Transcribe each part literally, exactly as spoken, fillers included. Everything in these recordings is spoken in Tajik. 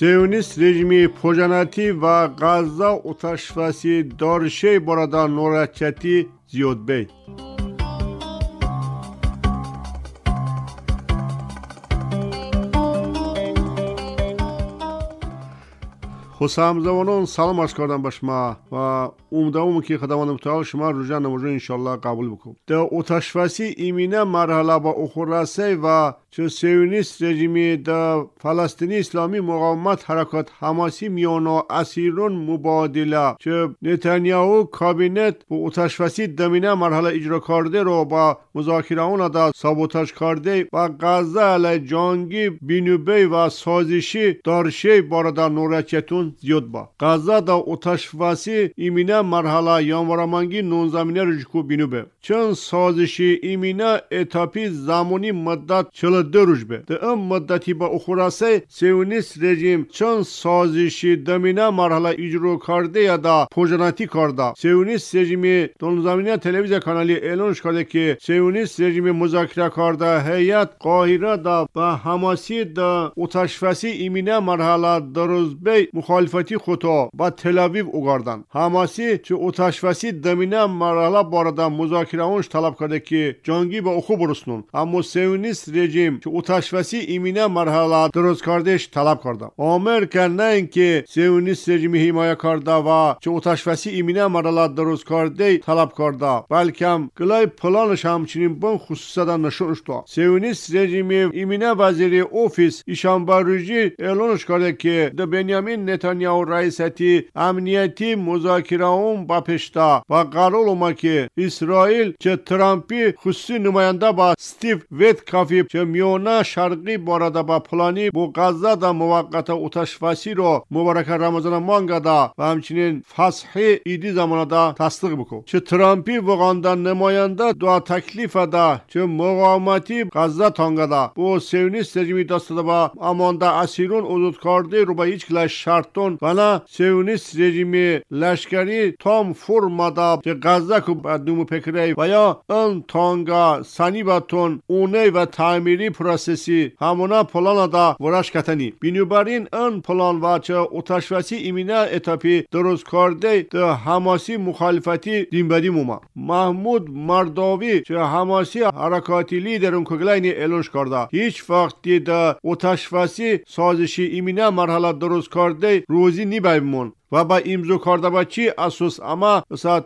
Siyonist rejimi pojanati va Gazza otashvasi dorshey borada norohatchati ziyod bey. Хусамзавонон салом арз кардам ба шумо ва умедворам ки Худованди мутаол шумо рӯза намозро иншоаллоҳ қабул бикунад. Дар оташваси имина марҳала ба охир ва чу сионист режими дар Фаластини исломӣ муқовимат ҳаракат ҳамоси миёна асирон мубодила чу Нетанияҳу кабинет бо оташваси дамина марҳала иҷро карде ро ба музокираон да саботаж карде ва Ғазза алай ҷанги бинубей ва созиши даршей борода норачетун зиёд ба. Ғазза да оташваси имина марҳала январаманги нонзамина рӯжку бинубе. Чун созиши имина этапи замони муддат чил ду рӯж бе. Дар ин муддати ба охирасе сионист режим чун созиши дамина марҳала иҷро карде да пожанатӣ карда. Сионист режими донзамина телевизия канали эълонш карде ки сионист режими музокира карда ҳайат Қоҳира да ба ҳамоси да оташваси имина марҳала дарозбей мухолифати худо ба Телавив угарданд. Ҳамоси чу оташваси дамина марҳала борода музокираонш талаб карде ки ҷангӣ ба оху буруснун. Аммо сионист режим чу оташваси имина марҳала дуруст кардеш талаб карда. Америка на ин ки сионист режими ҳимоя карда ва чу оташваси имина марҳала дуруст карде талаб карда, балкам гилай планаш ҳамчунин бун хусусада нишон шуда. Сионист режими имина вазири офис ишанбарӯжӣ эълонш карде ки да Бенямин Нетанияҳу раисати амнияти музокираон ба пешта ва қарор омад ки Исроил че Трампи хусуси намоянда ба Стив Веткафи че миёна шарқӣ борода ба плани бо Ғазза да муваққата оташвасиро муборака Рамазона мангада ва ҳамчунин фасҳи иди замонада тасдиқ бикун. Че Трампи воғанда намоянда дуа таклифада че муқовимати Ғазза тонгада бо сионист режими дастода ба амонда асирон озод карде рӯ ба ҳеҷ кила шартон ва на сионист режими лашкарӣ том формада че Ғазза ку ба думу пекрей ва ё ин тонга санибатон уней ва таъмири процесси ҳамона планада вараш катани. Бинобар ин ин план ва че оташваси имина этапи дуруст карде да ҳамоси мухолифати динбадӣ мума. Маҳмуд Мардовӣ че ҳамоси ҳаракати лидерун куглайни эълонш карда ҳеҷ вақти да оташваси созиши имина марҳала дуруст карде рӯзӣ нибаймон ва ба имзо карда ба чӣ асос ама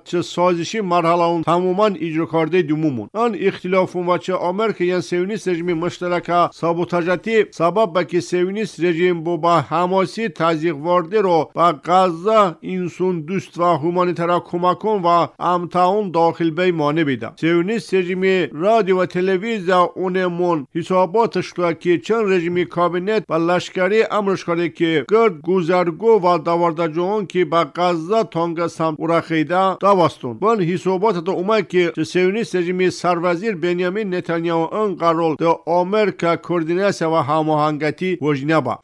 че созиши марҳалаун тамоман иҷро кардаи думумун. Ан ихтилофун ва че Америка ян сионист режими муштарака саботажатӣ сабаб ба ки сионист режим бо ба ҳамоси тазйиқвардиро ба Ғазза инсондӯст ва ҳуманитара кӯмакон ва амтаун дохил бей монеъ бида. Сионист режими радио ва телевизия унемун ҳисоботаш шуда ки чун режими кабинет ва лашкарӣ амрш карде ки гирд гузаргӯ ва давардаҷоон ки ба Ғазза тонга самт урахида давастун. Бун ҳисоботата омад ки сионист режими сарвазир Бенямин Нетанияҳу ин қарор да Америка координатсия ва ҳамоҳангатӣ вожина ба.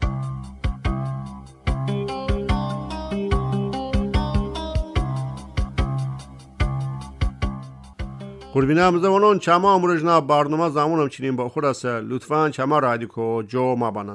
Қурбина ҳамзамонон чама амрӯжна барнома замонам чинин ба охир аст. Лутфан чама радико ҷо мабананд.